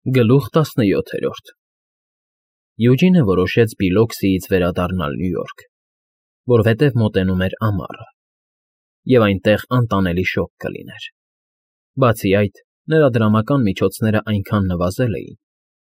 Գլուխ 17 Յուջինը որոշեց Բիլոքսիից վերադառնալ Նյու Յորք, որովհետև մոտենում էր ամառը, և այնտեղ անտանելի շոգ կլիներ. բացի այդ, նրա դրամական միջոցները այնքան նվազել էին,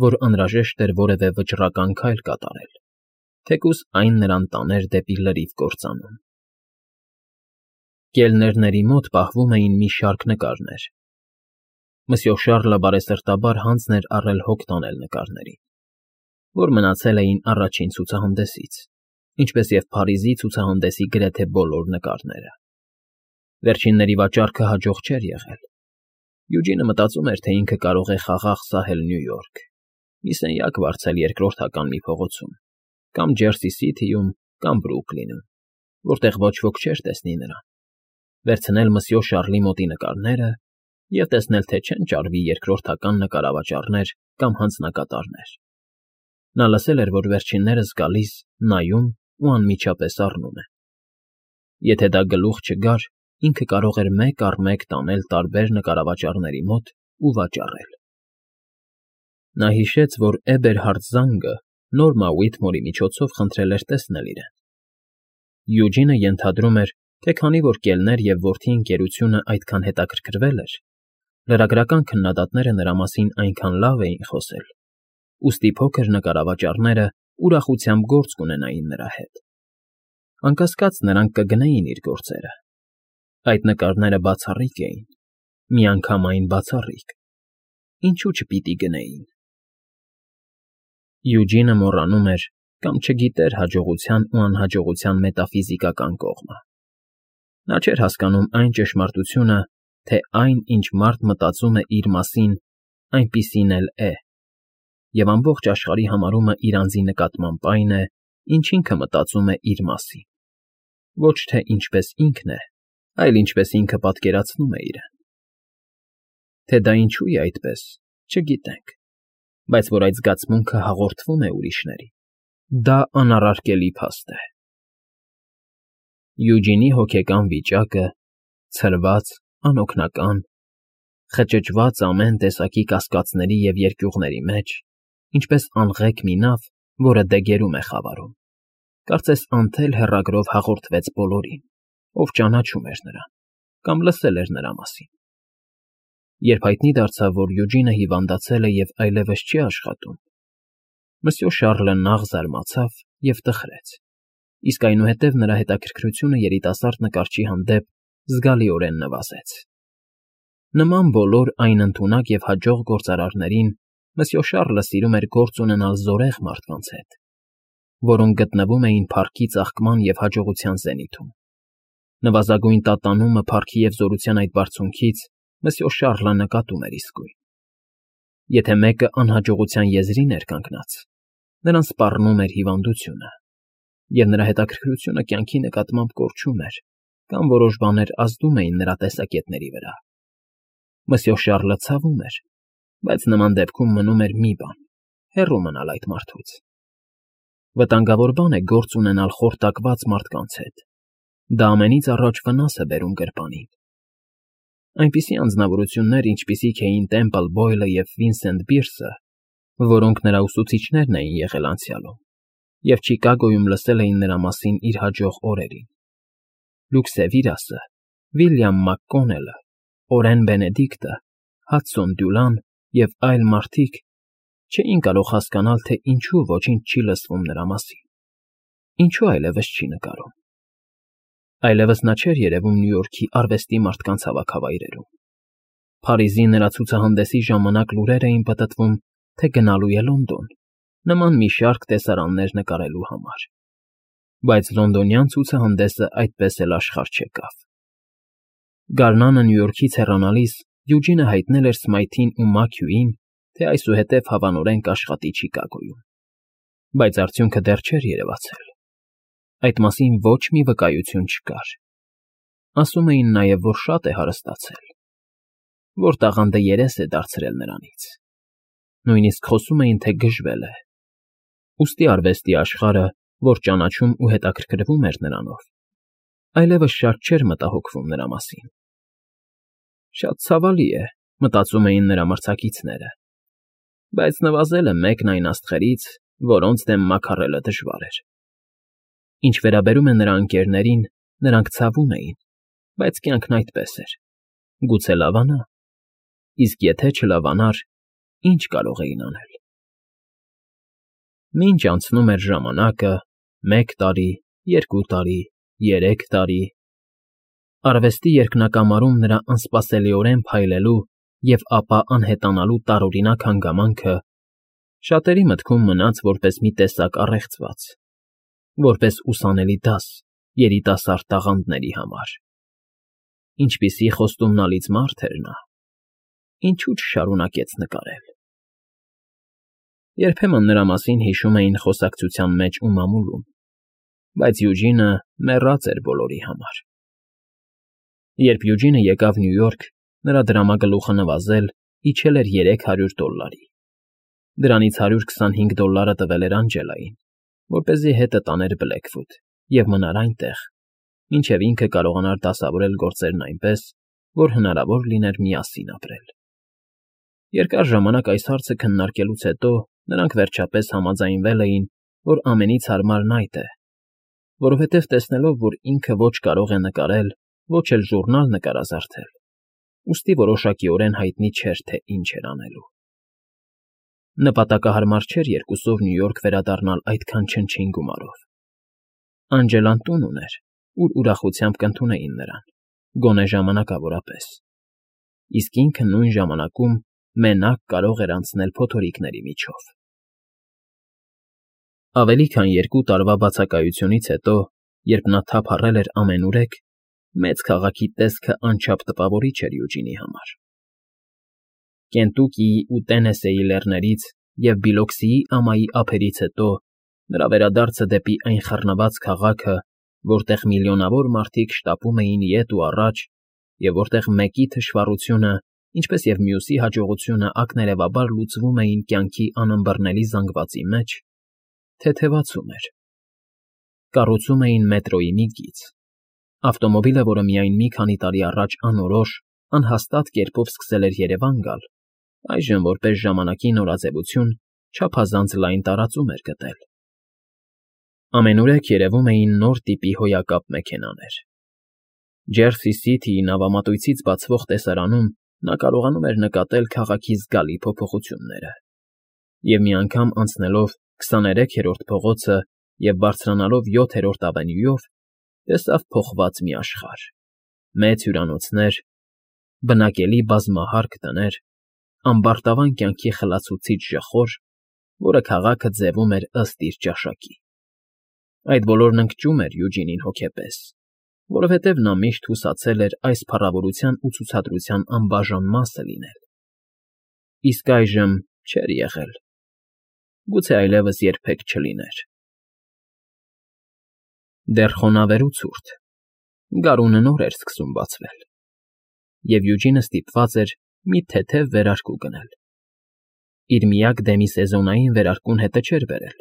որ անհրաժեշտ էր որևէ վճռական քայլ կատարել, թեկուզ այն նրան տաներ դեպի լրիվ կործանում։ Կելներների մոտ պահվում էին մի շարք նկարներ։ Մսյո Շառլը բարեսրտաբար հանձն էր առել հոգ տանել նկարներին, որ մնացել էին առաջին ցուցահանդեսից, ինչպես և Փարիզի ցուցահանդեսի գրեթե բոլոր նկարները։ Վերջինների վաճառքը հաջող չէր եղել։ Յուջինը մտածում էր, թե ինքը կարող է խաղաղ սահել Նյու Յորք, մի սենյակ վարձել երկրորդական մի փողոցում, կամ Ջերսի Սիթիում, կամ Բրուքլինում, որտեղ ոչ ոք չէր տեսնի նրան, վերցնել մսյո Շառլի մոտի նկարները և տեսնել, թե չեն ճարվի երկրորդական նկարավաճառներ կամ հանձնակատարներ։ Նա լսել էր, որ վերջիններս գալիս, նայում ու անմիջապես առնում են։ Եթե դա գլուխ չգար, ինքը կարող էր մեկ առ մեկ տանել տարբեր նկարավաճառների մոտ ու վաճառել։ Նա հիշեց, որ Էբերհարդ Զանգը Նորմա Ուիթմորի միջոցով խնդրել էր տեսնել իրեն։ Յուջինը ենթադրում էր, թե քանի որ կելներ և որդի ընկերությունը այդքան հետաքրքրվել էր, լրագրական քննադատները նրա մասին այնքան լավ էին խոսել, ուստի փոքր նկարավաճառները ուրախությամբ գործ կունենային նրա հետ։ Անկասկած, նրանք կգնեին իր գործերը։ Այդ նկարները բացառիկ էին, միանգամայն բացառիկ։ Ինչու չպիտի գնեին։ Յուջինը մոռանում էր կամ չգիտեր հաջողության ու անհաջողության մետաֆիզիկական կողմը։ Նա չէր հասկանում այն ճշմարտությունը, թե այն, ինչ մարդ մտածում է իր մասին, այնպիսին էլ է, և ամբողջ աշխարհի համարումը իր անձի նկատմամբ այն է, ինչ ինքը մտածում է իր մասին, ոչ թե ինչպես ինքն է, այլ ինչպես ինքը պատկերացնում է իրեն։ Թե դա ինչու է այդպես, չգիտենք, բայց որ այդ զգացմունքը հաղորդվում է ուրիշներին, դա անառարկելի փաստ է։ Յուջինի հոգեկան վիճակը, ցրված, անօգնական, խճճված ամեն տեսակի կասկածների և երկյուղների մեջ, ինչպես անղեկ մի նավ, որը դեգերում է խավարում, կարծես անթել հեռագրով հաղորդվեց բոլորին, ով ճանաչում էր նրան կամ լսել էր նրա մասին։ Երբ հայտնի դարձավ, որ Յուջինը հիվանդացել է և այլևս չի աշխատում, մսյո Շառլը նաղ զարմացավ և տխրեց, իսկ այնուհետև նրա հետաքրքրությունը երիտասարդ նկարչի հանդեպ զգալիորեն նվազեց։ Նման բոլոր այն ընդունակ և հաջող գործարարներին մսյո Շառլը սիրում էր գործ ունենալ զորեղ մարդկանց հետ, որոնք գտնվում էին փառքի ծաղկման և հաջողության զենիթում։ Նվազագույն տատանումը փառքի և զորության այդ բարձունքից մսյո Շառլը նկատում էր իսկույն։ Եթե մեկը անհաջողության եզրին էր կանգնած, նրան սպառնում էր հիվանդությունը, և նրա հետաքրքրությունը կյանքի նկատմամբ կորչում էր, կամ որոշ բաներ ազդում էին նրա տեսակետների վրա։ Մսյո Շառլը ցավում էր, բայց նման դեպքում մնում էր մի բան՝ հեռու մնալ այդ մարդուց։ Վտանգավոր բան է գործ ունենալ խորտակված մարդկանց հետ։ Դա ամենից առաջ վնաս է բերում գրպանին։ Այնպիսի անձնավորություններ, ինչպիսիք էին Տեմպլ Բոյլը և Վինսենտ Բիրսը, որոնք նրա ուսուցիչներն էին եղել անցյալում, և Չիկագոյում լսել էին նրա մասին իր հաջող օրերին, Լյուքսևիրասը, Վիլյամ Մակկոնելը, Օրեն Բենեդիկտը, Հադսոն Դյուլան և այլ մարդիկ չէին կարող հասկանալ, թե ինչու ոչինչ չի լսվում նրա մասին, ինչու այլևս չի նկարում։ Այլևս նա չէր երևում Նյու Յորքի արվեստի մարդկանց հավաքավայրերում։ Փարիզի նրա ցուցահանդեսի ժամանակ լուրեր էին պտտվում, թե գնալու է Լոնդոն, նման մի շարք տեսարաններ նկարելու համար։ Բայց լոնդոնյան ցուցահանդեսը այդպես էլ աշխարհ չեկավ։ Գարնանը Նյու Յորքից հեռանալիս Յուջինը հայտնել էր Սմայթին ու Մաքյուին, թե այսուհետև հավանորեն կաշխատի Չիկագոյում։ Բայց արդյունքը դեռ չէր երևացել։ Այդ մասին ոչ մի վկայություն չկար։ Ասում էին նաև, որ շատ է հարստացել, որ տաղանդը երես է դարձրել նրանից։ Նույնիսկ խոսում էին, թե գժվել է։ Ուստի արվեստի աշխարհը, որ ճանաչում ու հետաքրքրվում էր նրանով, այլևս շատ չէր մտահոգվում նրա մասին։ Շատ ցավալի է, մտածում էին նրա մրցակիցները։ բայց նվազել է մեկն այն աստղերից, որոնց դեմ մաքարելը դժվար էր։ Ինչ վերաբերում է նրա ընկերներին, նրանք ցավում էին, բայց կյանքն այդպես էր։ Գուցե լավանա, իսկ եթե չլավանար, ինչ կարող էին անել։ Մինչ անցնում էր ժամանակը, 1 տարի, 2 տարի, 3 տարի, արվեստի երկնակամարում նրա անսպասելիորեն փայլելու և ապա անհետանալու տարօրինակ հանգամանքը շատերի մտքում մնաց որպես մի տեսակ առեղծված, որպես ուսանելի դաս երիտասարդ տաղանդների համար։ Ինչպիսի խոստումնալից մարդ էր նա, ինչու չշարունակեց նկարել։ Երբեմն նրա մասին հիշում էին խոսակցության մեջ ու մամուլում, բայց Յուջինը մեռած էր բոլորի համար։ Երբ Յուջինը եկավ Նյու Յորք, նրա դրամագլուխը նվազել իջել էր $300։ Դրանից $125 տվել էր Անջելային, որպեսզի հետը տաներ Բլեքվուդ և մնար այնտեղ, մինչև ինքը կարողանար դասավորել գործերն այնպես, որ հնարավոր լիներ միասին ապրել։ Երկար ժամանակ այս հարցը քննարկելուց հետո նրանք վերջապես համաձայնվել էին, որ ամենից հարմարն այդ է, որովհետև տեսնելով, որ ինքը ոչ կարող է նկարել, ոչ էլ ժուրնալ նկարազարդել, ուստի որոշակիորեն հայտնի չէր, թե ինչ էր անելու։ Նպատակահարմար չէր երկուսով Նյու Յորք վերադառնալ այդքան չնչին գումարով։ Անջելան տուն ուներ, ուր ուրախությամբ կընդունեին նրան, գոնե ժամանակավորապես, իսկ ինքը նույն ժամանակում մենակ կարող էր անցնել փոթորիկների միջով։ Ավելի քան 2 տարվա բացակայությունից հետո, երբ նա թափառել էր ամենուրեք, մեծ քաղաքի տեսքը անչափ տպավորիչ էր Յուջինի համար։ Կենտուկիի ու Տենեսեի լեռներից և Բիլոքսիի ամայի ափերից հետո նրա վերադարձը դեպի այն խռնված քաղաքը, որտեղ միլիոնավոր մարդիկ շտապում էին ետ ու առաջ, և որտեղ մեկի թշվառությունը, ինչպես և մյուսի հաջողությունը ակներևաբար լուծվում էին կյանքի անըմբռնելի զանգվածի մեջ, թեթևացում էր։ Կառուցում էին մետրոյի մի կից, ավտոմոբիլը, որը միայն մի քանի տարի առաջ անորոշ, անհաստատ կերպով սկսել էր Երևան գալ, այժմ որպես ժամանակի նորաձևություն չափազանց լայն տարածում էր գտել։ Ամենուրեք երևում էին նոր տիպի հոյակապ մեքենաներ։ Ջերսի Սիթիի նավամատույցից բացվող տեսարանում նա կարողանում էր նկատել քաղաքի զգալի փոփոխությունները, և մի անգամ անցնելով 23-րդ փողոցը և բարձրանալով 7-րդ ավենյուով, տեսավ փոխված մի աշխարհ՝ մեծ հյուրանոցներ, բնակելի բազմահարկ տներ, ամբարտավան կյանքի խլացուցիչ ժխոր, որը քաղաքը ձևում էր ըստ իր ճաշակի։ Այդ բոլորն ընկճում էր Յուջինին հոգեպես, որովհետև նա միշտ հուսացել էր այս փառավորության ու ցուցադրության անբաժան մասը լինել։ Իսկ այժմ չէր եղել, գուցե այլևս երբեք չլիներ։ Դեռ խոնավեր ու ցուրտ, գարունը նոր էր սկսում բացվել, և Յուջինը ստիպված էր մի թեթև վերարկու գնել։ Իր միակ դեմիսեզոնային վերարկուն հետը չէր բերել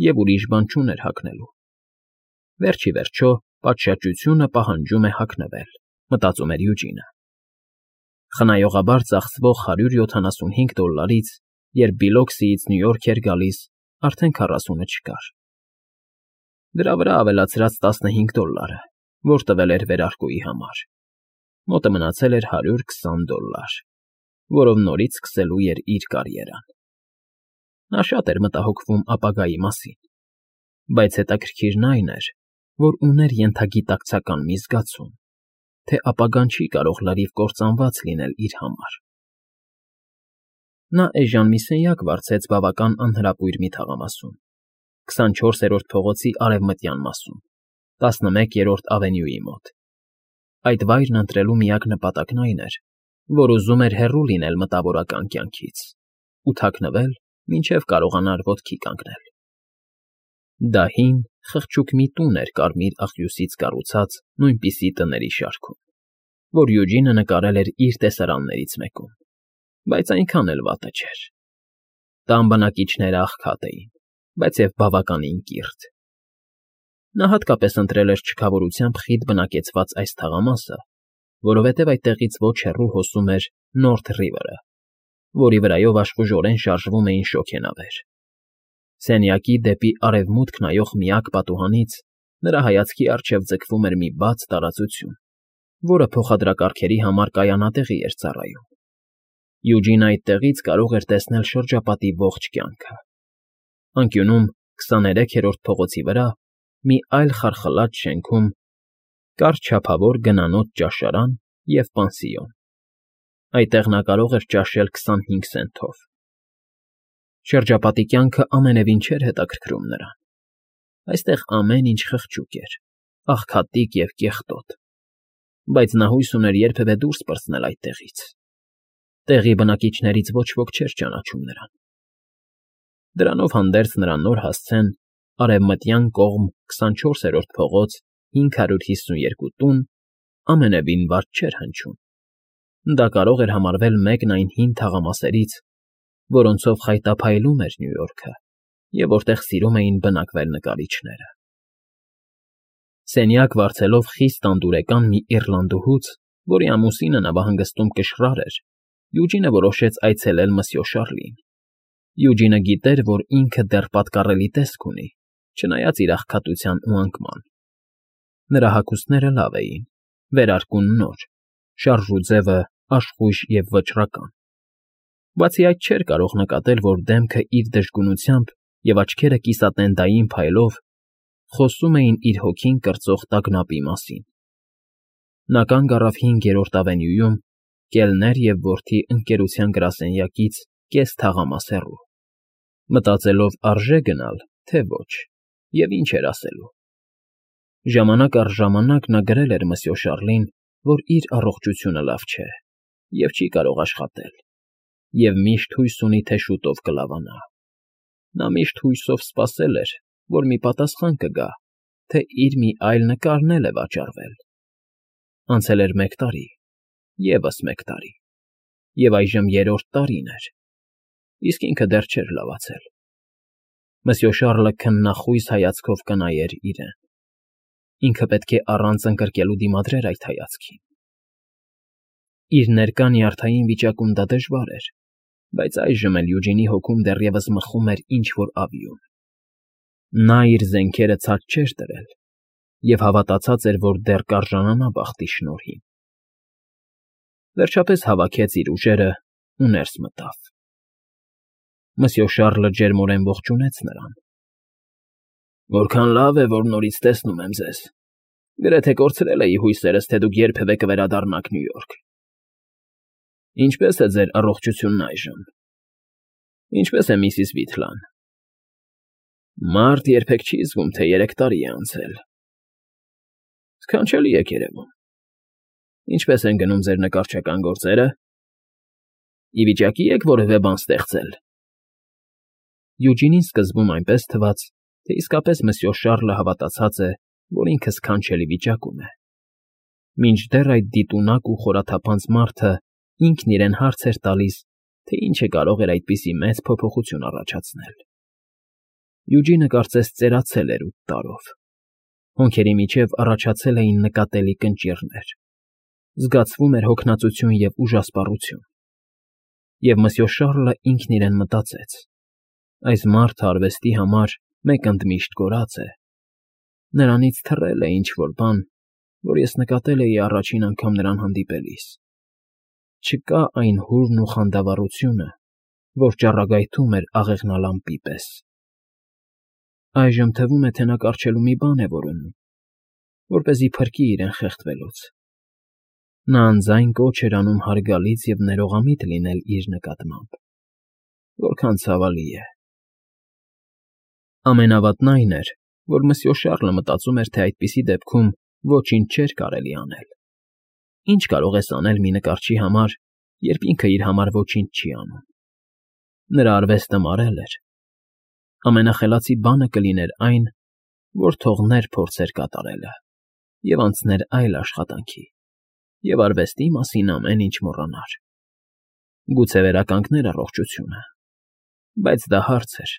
և ուրիշ բան չուներ հագնելու։ Վերջ ի վերջո, պատշաճությունը պահանջում է հագնվել, մտածում էր Յուջինը։ Խնայողաբար ծախսվող $175-ից, երբ Բիլոքսիից Նյու Յորք էր գալիս, արդեն 40-ը չկար։ Դրա վրա ավելացրած $15, որ տվել էր վերարկուի համար, մոտը մնացել էր $120, որով նորից սկսելու էր իր կարիերան։ Նա շատ էր մտահոգվում ապագայի մասին, բայց հետաքրքիրն այն էր, որ ուներ ենթագիտակցական մի զգացում, թե ապագան չի կարող լրիվ կործանված լինել իր համար։ Նա էժան մի սենյակ վարձեց բավական անհրապույր մի թաղամասում, 24-րդ փողոցի արևմտյան մասում, 11-րդ ավենյուի մոտ։ Այդ վայրն ընտրելու միակ նպատակն այն էր, որ ուզում էր հեռու լինել մտավորական կյանքից ու թաքնվել, մինչև կարողանար ոտքի կանգնել։ Դա հին, խղճուկ մի տուն էր կարմիր աղյուսից կառուցած նույնպիսի տների շարքում, որ Յուջինը նկարել էր իր տեսարաններից մեկում, բայց այնքան էլ վատը չէր։ Տան բնակիչները աղքատ էին, բայց և բավականին կիրթ։ Նա հատկապես ընտրել էր չքավորությամբ խիտ բնակեցված այս թաղամասը, որովհետև այդտեղից ոչ հեռու հոսում էր Նորթ Ռիվերը, որի վրայով աշխուժորեն շարժվում էին շոգենավեր։ Սենյակի դեպի արևմուտք նայող միակ պատուհանից նրա հայացքի առջև ձգվում էր մի բաց տարածություն, որը փոխադրակարգերի համար կայանատեղի էր ծառայում։ Յուջինը այդտեղից կարող էր տեսնել շրջապատի ողջ կյանքը։ Անկյունում 23-րդ փողոցի վրա մի այլ խարխլած շենքում կար չափավոր գնանոց ճաշարան և պանսիոն։ Այդտեղ նա կարող էր ճաշել 25 սենթով։ Շրջապատի կյանքը ամենևին չէր հետաքրքրում նրան։ Այստեղ ամեն ինչ խղճուկ էր, աղքատիկ և կեղտոտ, բայց նա հույս ուներ երբևէ դուրս պրծնել այդտեղից։ Տեղի բնակիչներից ոչ ոք չէր ճանաչում նրան։ Դրանով հանդերձ նրա նոր հասցեն արևմտյան կողմ 24-րդ փողոց 552 տուն ամենևին վատ չէր հնչում։ Դա կարող էր համարվել մեկն այն հին թաղամասերից, որոնցով խայտափայլում էր Նյու Յորքը և որտեղ սիրում էին բնակվել նկարիչները։ Սենյակ վարձելով խիստ անդուրեկան մի իռլանդուհուց, որի ամուսինը նավահանգստում կշռար էր, Յուջինը որոշեց այցելել Մսյո Շարլին։ Յուջինը գիտեր, որ ինքը դեռ պատկառելի տեսք ունի, չնայած իր աղքատության ու անկման։ Նրա հագուստները լավ էին, վերարկուն նոր, շարժուձևը աշխույժ և վճռական։ Բացի այդ չէր կարող նկատել, որ դեմքը իր դժգունությամբ և աչքերը կիսատենդային փայլով խոսում էին իր հոգին կրծող տագնապի մասին։ Նա կանգ առավ 5-րդ ավենյուում կելներ և որդի ընկերության գրասենյակից կես թաղամաս հեռու, մտածելով արժե գնալ, թե ոչ, և ինչ էր ասելու։ Ժամանակ առ ժամանակ նա գրել էր Մսյո Շարլին, որ իր առողջությունը լավ չէ և չի կարող աշխատել, և միշտ հույս ունի, թե շուտով կլավանա։ Նա միշտ հույսով սպասել էր, որ մի պատասխան կգա, թե իր մի այլ նկարն էլ է վաճառվել։ Անցել էր 1 տարի, ևս 1 տարի, և այժմ 3-րդ տարին էր, իսկ ինքը դեռ չէր լավացել։ Մսյո Շարլը քննախույս հայացքով կնայեր իրեն։ Ինքը պետք է առանց ընկրկելու դիմադրեր այդ հայացքին։ Իր ներկա նյարդային վիճակում դա դժվար էր, բայց այժմ էլ Յուջինի հոգում դեռևս մխում էր ինչ֊որ ավյուն։ Նա իր զենքերը ցած չէր դրել և հավատացած էր, որ դեռ կարժանանա բախտի շնորհին։ Վերջապես հավաքեց իր ուժերն ու ներս մտավ։ Մսյո Շարլը ջերմորեն ողջունեց նրան։ Որքան լավ է, որ նորից տեսնում եմ ձեզ։ Գրեթե կորցրել էի հույսերս, թե դուք երբևէ կվերադառնաք Նյու Յորք։ Ինչպե՞ս է ձեր առողջությունն այժմ։ Ինչպե՞ս է միսիս Վիթլան։ Մարդ երբեք չի զգում, թե 3 տարի է անցել։ Սքանչելի եք երևում։ Ինչպե՞ս են գնում ձեր նկարչական գործերը։ Ի վիճակի եք որևէ բան ստեղծել։ Յուջինին սկզբում այնպես թվաց, թե իսկապես Մսյո Շարլը հավատացած է, որ ինքը սքանչելի վիճակում է։ Մինչդեռ այդ դիտունակ ու խորաթափանց մարդը ինքն իրեն հարց էր տալիս, թե ինչը կարող էր այդպիսի մեծ փոփոխություն առաջացնել։ Յուջինը կարծես ծերացել էր 8 տարով։ Հոնքերի միջև առաջացել էին նկատելի կնճիռներ։ Զգացվում էր հոգնածություն և ուժասպառություն։ Եվ Մսյո Շարլը ինքն իրեն մտածեց. այս մարդը արվեստի համար մեկ ընդմիշտ կորած է։ Նրանից թռել է ինչ֊որ բան, որ ես նկատել էի առաջին անգամ նրան հանդիպելիս։ Չկա այն հուրն ու խանդավառությունը, որ ճառագայթում էր աղեղնալամպի պես։ Այժմ թվում է, թե նա կառչելու մի բան է որոնում, որպեսզի փրկի իրեն խեղդվելուց։ Նա անձայն կոչ էր անում հարգալից և ներողամիտ լինել իր նկատմամբ։ Որքան ցավալի է։ Ամենավատն այն էր, որ Մսյո Շարլը մտածում էր, թե այդպիսի դեպքում ոչինչ չէր կարելի անել։ Ինչ կարող ես անել մի նկարչի համար, երբ ինքը իր համար ոչինչ չի անում։ Նրա արվեստը մարել էր։ Ամենախելացի բանը կլիներ այն, որ թողներ փորձեր կատարելը և անցներ այլ աշխատանքի, և արվեստի մասին ամեն ինչ մոռանար։ Գուցե վերականգներ առողջությունը, բայց դա հարց էր։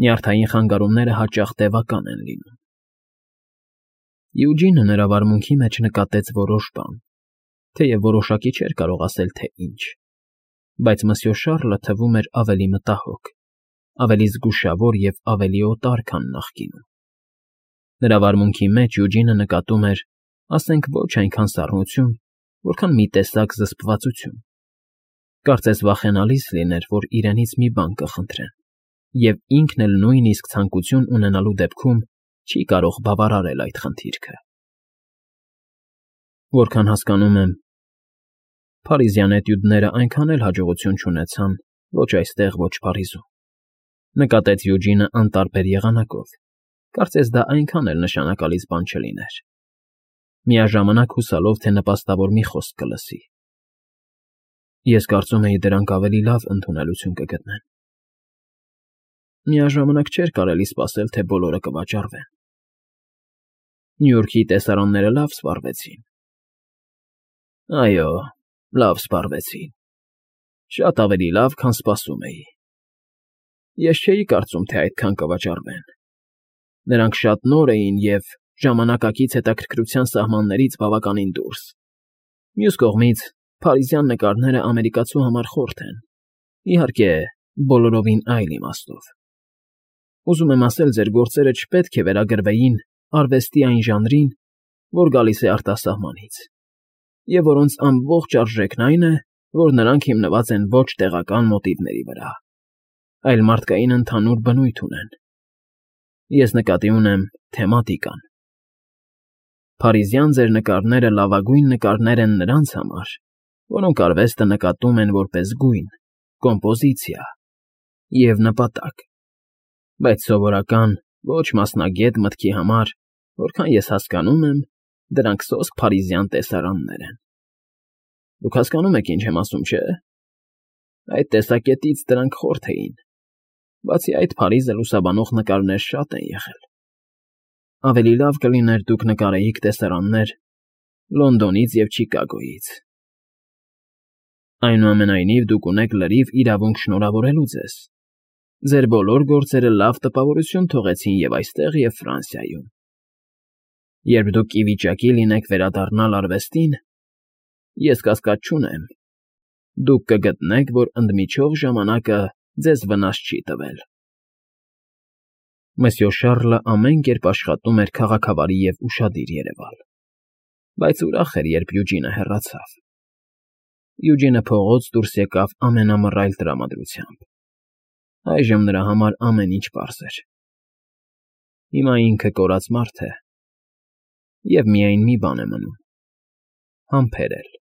Նյարդային խանգարումները հաճախ տևական են լինում։ Յուջինը նրա վարմունքի մեջ նկատեց որոշ բան, թեև որոշակի չէր կարող ասել, թե ինչ։ բայց Մսյո Շառլը թվում էր ավելի մտահոգ, ավելի զգուշավոր և ավելի օտար, քան նախկինում. նրա վարմունքի մեջ Յուջինը նկատում էր, ասենք ոչ այնքան սառնություն, որքան մի տեսակ զսպվածություն. կարծես վախենալիս լիներ, որ իրենից մի բան կխնդրեն, և ինքն էլ նույնիսկ ցանկություն ունենալու դեպքում չի կարող բավարարել այդ խնդիրքը։ Որքան հասկանում եմ, փարիզյան էտյուդները այնքան էլ հաջողություն չունեցան ոչ այստեղ, ոչ Փարիզում, նկատեց Յուջինը անտարբեր եղանակով, կարծես դա այնքան էլ նշանակալից բան չլիներ, միաժամանակ հուսալով, թե նպաստավոր մի խոսք կլսի։ Ես կարծում էի դրանք ավելի լավ ընդունելություն կգտնեն։ Միաժամանակ չէր կարելի սպասել, թե բոլորը կվաճառվեն։ Նյու Յորքի տեսարանները լավ սպառվեցին։ Այո, լավ սպառվեցին։ Շատ ավելի լավ, քան սպասում էի։ Ես չէի կարծում, թե այդքան կվաճառվեն։ Նրանք շատ նոր էին և ժամանակակից հետաքրքրության սահմաններից բավականին դուրս։ Մյուս կողմից, փարիզյան նկարները ամերիկացու համար խորթ են, իհարկե, բոլորովին այլ իմաստով։ Ուզում եմ ասել, ձեր գործերը չպետք է վերագրվեին արվեստի այն ժանրին, որ գալիս է արտասահմանից, և որոնց ամբողջ արժեքն այն է, որ նրանք հիմնված են ոչ տեղական մոտիվների վրա, այլ մարդկային ընդհանուր բնույթ ունեն։ Ես նկատի ունեմ թեմատիկան։ Փարիզյան ձեր նկարները լավագույն նկարներ են նրանց համար, որոնք արվեստը նկատում են որպես գույն, կոմպոզիցիա և նպատակ, բայց սովորական, ոչ մասնագետ մտքի համար, որքան ես հասկանում եմ, դրանք սոսկ փարիզյան տեսարաններ են։ Դուք հասկանում եք, ինչ եմ ասում, չէ՞։ Այդ տեսակետից դրանք խորթ էին, բացի այդ Փարիզը լուսաբանող նկարներ շատ են եղել։ Ավելի լավ կլիներ դուք նկարեիք տեսարաններ Լոնդոնից և Չիկագոյից։ Այնուամենայնիվ, դուք ունեք լրիվ իրավունք շնորհավորելու ձեզ։ Ձեր բոլոր գործերը լավ տպավորություն թողեցին և այստեղ, և Ֆրանսիայում։ Երբ դուք ի վիճակի լինեք վերադառնալ արվեստին, ես կասկած չունեմ, դուք կգտնեք, որ ընդմիջով ժամանակը ձեզ վնաս չի տվել։ Մսյո Շառլը ամեն կերպ աշխատում էր քաղաքավարի և ուշադիր երևալ, բայց ուրախ էր, երբ Յուջինը հեռացավ։ Յուջինը փողոց դուրս եկավ ամենամռայլ տրամադրությամբ։ Այժմ նրա համար ամեն ինչ պարզ էր։ Հիմա ինքը կորած մարդ է, և միայն մի բան է մնում՝ համբերել։